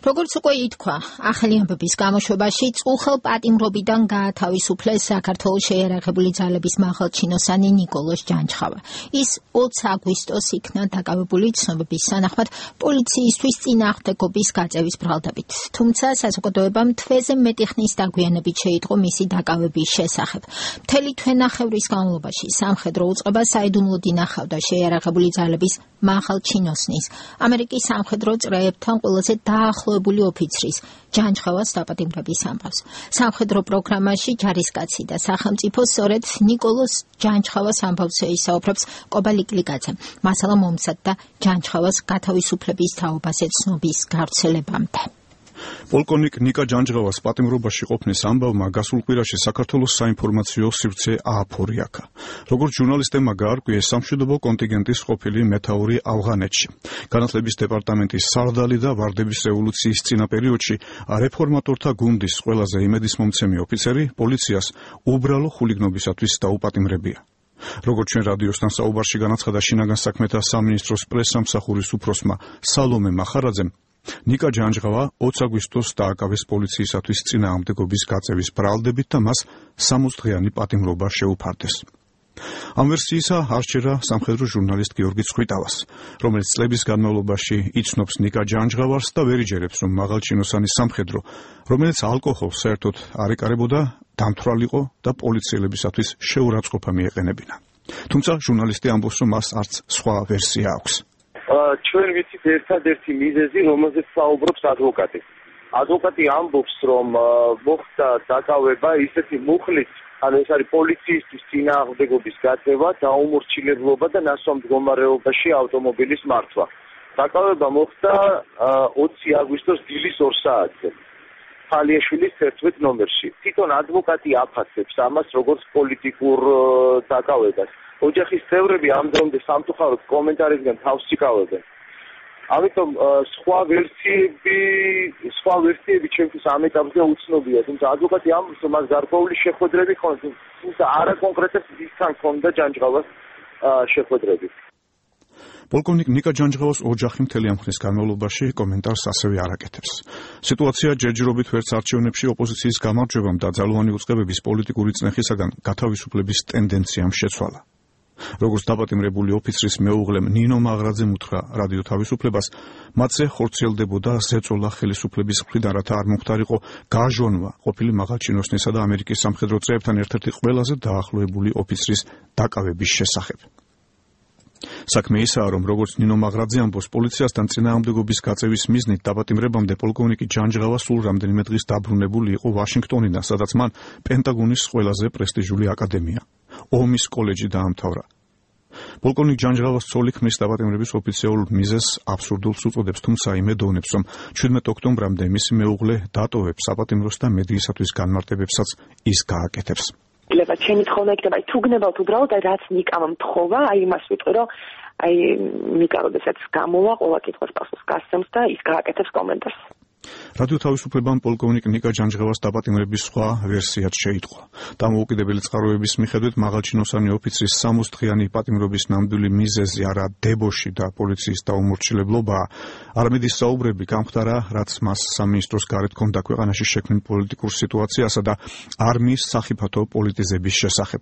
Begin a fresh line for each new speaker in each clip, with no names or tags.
როგორც უკვე ითქვა, ახალი ამბების გამოშვებაში წუხელ პატიმრობიდან გაათავისუფლეს საქართველოს შეიარაღებული ძალების მაღალჩინოსანი ნიკოლოზ ჯანჯღავა. ის 20 აგვისტოს იქნა დაკავებული ცნობების თანახმად პოლიციისთვის წინააღმდეგობის გაწევის ბრალდებით. თუმცა საზოგადოებამ თვეზე მეტი ხნის დაგვიანებით შეიტყო მისი დაკავების შესახებ. მთელი თვენახევრის განმავლობაში სამხედრო უწყება საიდუმლოდ ინახავდა შეიარაღებული ძალების მაღალჩინოსნის, ამერიკის სამხედრო წრეებთან ყველაზე დაახლოებული ოფიცრის ჯანჯღავას დაპატიმრების ამბავს. სამხედრო პროგრამაში ჯარისკაცი და სახელმწიფო სწორედ ნიკოლოზ ჯანჯღავას ამბავს ისაუბრებს კობალი კლიკაძე. მასალა მომცადდა ჯანჯღავას გათავისუფლების თაობაზე ცნობის გავრცელებამდე.
პოლკოვნიკ ნიკა ჯანჯღავას პატიმრობაში ყოფნის ამბავმა გასულ კვირაში საქართველოს საინფორმაციო სივრცე ააფორიაკა. როგორც ჟურნალისტებმა გაარკვიეს, სამშვიდობო კონტინგენტის ყოფილი მეთაური ავღანეთში. განათლების დეპარტამენტის სარდალი და ვარდების რევოლუციის წინა პერიოდში რეფორმატორთა გუნდის ყველაზე იმედისმომცემი ოფიცერი პოლიციას უბრალო ხულიგნობისათვის დაუპატიმრებია. როგორც ჩვენ რადიოსთან საუბარში განაცხადა შინაგან საქმეთა სამინისტროს პრესსამსახურის უფროსმა სალომე მახარაძემ, ნიკა ჯანჯღავა 20 აგვისტოს დააკავეს პოლიციისათვის წინააღმდეგობის გაწევის ბრალდებით და მას 60 დღიანი პატიმრობა შეუფარდეს. ამ ვერსიისა არჩერა სამხედრო ჟურნალისტ გიორგი ცხვიტავას, რომელიც წლების განმავლობაში იცნობს ნიკა ჯანჯღავას და ვერ იჯერებს, რომ მაღალჩინოსანი სამხედრო, რომელიც ალკოჰოლს საერთოდ არ ეკარებოდა, დამთვრალიყო და პოლიციელებისათვის შეურაცხყოფა მიეყენებინა. თუმცა ჟურნალისტი ამბობს, რომ მას არც სხვა ვერსია აქვს.
ჩვენ ვიცით ერთადერთი მიზეზი, რომელზეც საუბრობს ადვოკატი. ადვოკატი ამბობს, რომ მოხდა დაკავება ისეთი მუხლით, ანუ ეს არის პოლიციისთვის წინააღმდეგობის გაწევა, დაუმორჩილებლობა და ნასვამ მდგომარეობაში ავტომობილის მართვა. დაკავება მოხდა 20 აგვისტოს დილის 2 საათზე. ხალიაშვილის 11 ნომერში. თვითონ ადვოკატი აფასებს ამას როგორც პოლიტიკურ დაკავებას. ოჯახის წევრები ამ დრომდე სამწუხაროდ კომენტარისგან თავს იკავებენ. ამიტომ სხვა ვერსიები ჩვენთვის ამ ეტაპზე უცნობია, თუმცა ადვოკატი ამბობს, რომ მას გარკვეული შეხვედრები ხონდა, თუმცა არა კონკრეტულად ისთან ხონდა ჯანჯღავას შეხვედრები.
პოლკოვნიკ ნიკა ჯანჯღავას ოჯახი მთელი ამ ხნის განმავლობაში კომენტარს ასევე არ აკეთებს. სიტუაცია ჯერჯერობით ვერც არჩევნებში ოპოზიციის გამარჯვებამ და ძალოვანი უწყებების პოლიტიკური წნეხისაგან გათავისუფლების ტენდენციამ შეცვალა. როგორც დაპატიმრებული ოფიცრის მეუღლემ ნინო მაღრაძემ უთხრა რადიო თავისუფლებას, მათზე ხორციელდებოდა ზეწოლა ხელისუფლების მხრიდან, რათა არ მომხდარიყო გააჟონვა ყოფილი მაღალჩინოსნისა და ამერიკის სამხედრო წრეებთან ერთ-ერთი ყველაზე დაახლოებული ოფიცრის დაკავების შესახებ. საქმე ისაა, რომ როგორც ნინო მაღრაძე ამბობს, პოლიციასთან წინააღმდეგობის გაწევის მიზნით დაპატიმრებამდე პოლკოვნიკი ჯანჯღავა სულ რამდენიმე დღის დაბრუნებული იყო ვაშინგტონიდან, სადაც მან პენტაგონის ყველაზე პრესტიჟული აკადემია ომის კოლეჯი დაამთავრა. პოლკოვნიკ ჯანჯღავას ცოლი ქმნის დაპატიმრების ოფიციალურ მიზეზს აბსურდულს უწოდებს, თუმცა იმედოვნებს, რომ 17 ოქტომბრამდე მისი მეუღლე დატოვებს საპატიმროს და მედიისათვის განმარტებებსაც ის გააკეთებს.
ჩემი თხოვნა იქნება, თუ გნებავთ უბრალოდ, რაც ნიკამ მთხოვა, იმას ვიტყვი, რომ ნიკა როდესაც გამოვა, ყველა კითხვას პასუხს გასცემს და ის გააკეთებს კომენტარს.
რადიო თავისუფლებამ პოლკოვნიკ ნიკა ჯანჯღავას დაპატიმრების სხვა ვერსიაც შეიტყო. დამოუკიდებელი წყაროების მიხედვით მაღალჩინოსანი ოფიცრის 60 დღიანი პატიმრობის ნამდვილი მიზეზი არა დებოში და პოლიციის დაუმორჩილებლობაა, არამედ ის საუბრები გამხდარა, რაც მას სამინისტროს გარეთ ჰქონდა ქვეყანაში შექმნილ პოლიტიკურ სიტუაციასა და არმიის სახიფათო პოლიტიზების შესახებ.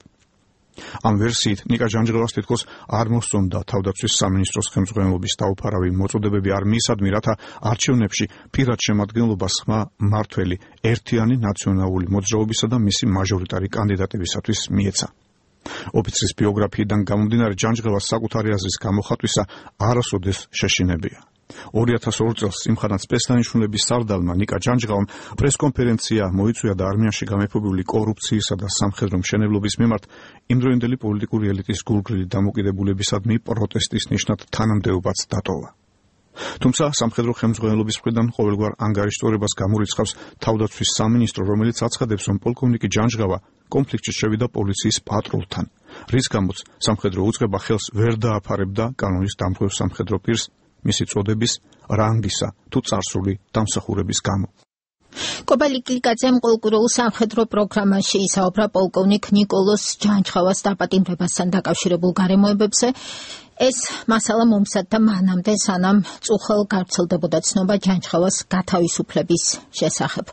ამ ვერსიით ნიკა ჯანჯღავას თითქოს არ მოსწონდა თავდაცვის სამინისტროს ხელმძღვანელობის დაუფარავი მოწოდებები არმიისადმი, რათა არჩევნებში პირად შემადგენლობას ხმა მმართველი ერთიანი ნაციონალური მოძრაობისა და მისი მაჟორიტარი კანდიდატებისათვის მიეცა. ოფიცრის ბიოგრაფიიდან გამომდინარე ჯანჯღავას საკუთარი აზრის გამოხატვისა არასოდეს შეშინებია. 2002 წელს იმხანად სპეცდანიშნულების სარდალმა ნიკა ჯანჯღავამ პრესკონფერენცია მოიწვია და არმიაში გამეფობებული კორუფციისა და სამხედრო მშენებლობის მიმართ იმდროინდელი პოლიტიკური ელიტის გულგრილი დამოკიდებულებისადმი პროტესტის ნიშნად თანამდებობაც დატოვა. თუმცა სამხედრო ხელმძღვანელობის მხრიდან ყოველგვარ ანგარიშტორებას გამორიცხავს თავდაცვის სამინისტრო, რომელიც აცხადებს, რომ პოლკოვნიკი ჯანჯღავა კონფლიქტში შევიდა პოლიციის პატრულთან, რის გამოც სამხედრო უწყება ხელს ვერ დააფარებდა კანონის დამხმევ სამხედრო პირს მისი წოდების, რანგისა თუ წარსული დამსახურების გამო.
კობალი კილიკაძემ პოლკურულ სამხედრო პროგრამაში ისაუბრა პოლკოვნიკ ნიკოლოს ჯანჯღავას დაპატიმრებასთან დაკავშირებულ გარემოებებზე. ეს მასალა მომსადდა მანამდე, სანამ წუხელ გავრცელდებოდა ცნობა ჯანჯღავას გათავისუფლების შესახებ.